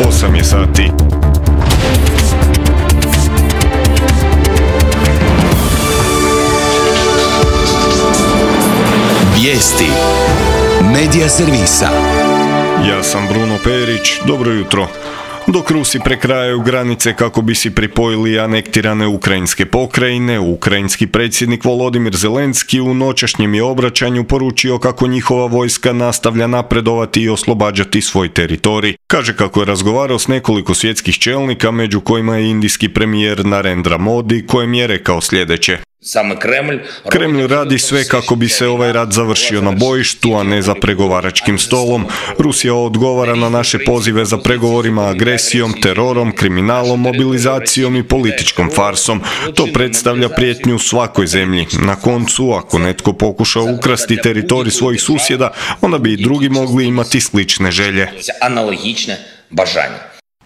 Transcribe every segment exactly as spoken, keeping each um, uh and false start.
osam je sati. Vijesti Medija servisa. Ja sam Bruno Perić, dobro jutro. Dok Rusi prekrajaju granice kako bi si pripojili anektirane ukrajinske pokrajine, ukrajinski predsjednik Volodimir Zelenski u noćašnjem je obraćanju poručio kako njihova vojska nastavlja napredovati i oslobađati svoj teritorij. Kaže kako je razgovarao s nekoliko svjetskih čelnika, među kojima je indijski premijer Narendra Modi, kojem je rekao sljedeće. Kremlj radi sve kako bi se ovaj rat završio na bojištu, a ne za pregovaračkim stolom. Rusija odgovara na naše pozive za pregovorima agresijom, terorom, kriminalom, mobilizacijom i političkom farsom. To predstavlja prijetnju svakoj zemlji. Na koncu, ako netko pokuša ukrasti teritorij svojih susjeda, onda bi i drugi mogli imati slične želje.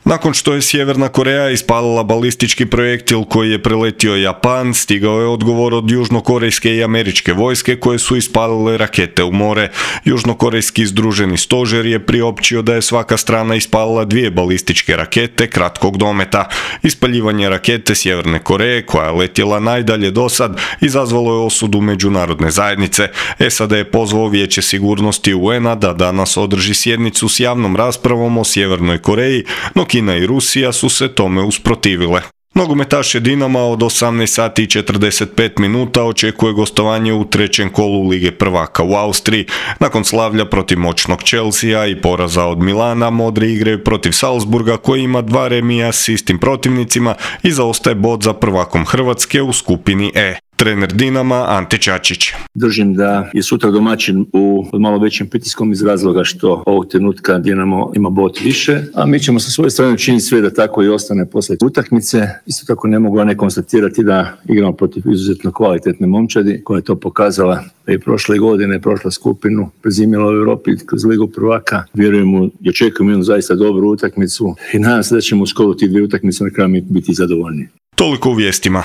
Nakon što je Sjeverna Koreja ispalila balistički projektil koji je preletio Japan, stigao je odgovor od južnokorejske i američke vojske koje su ispalile rakete u more. Južnokorejski združeni stožer je priopćio da je svaka strana ispalila dvije balističke rakete kratkog dometa. Ispaljivanje rakete Sjeverne Koreje, koja je letjela najdalje dosad, izazvalo je osudu međunarodne zajednice. S A D je pozvao Vijeće sigurnosti U N A da danas održi sjednicu s javnom raspravom o Sjevernoj Koreji, no Kina i Rusija su se tome usprotivile. Nogometaše Dinama od osamnaest sati i četrdeset pet minuta očekuje gostovanje u trećem kolu Lige prvaka u Austriji. Nakon slavlja protiv moćnog Chelsea i poraza od Milana, modri igraju protiv Salzburga koji ima dva remija s istim protivnicima i zaostaje bod za prvakom Hrvatske u skupini E. Trener Dinama Ante Čačić. Držim da je sutra domaćin u malo većim pritiskom iz razloga što ovog trenutka Dinamo ima bod više, a mi ćemo sa svoje strane učiniti sve da tako i ostane poslije utakmice. Isto tako ne mogu ne konstatirati da igramo protiv izuzetno kvalitetne momčadi koja je to pokazala i prošle godine, prošla skupinu, prezimila u Europi kroz Ligu prvaka. Vjerujemo i očekujemo jednu zaista dobru utakmicu i nadam se da ćemo u skoro tih dvije utakmice na kraju biti zadovoljni. Toliko u vijestima.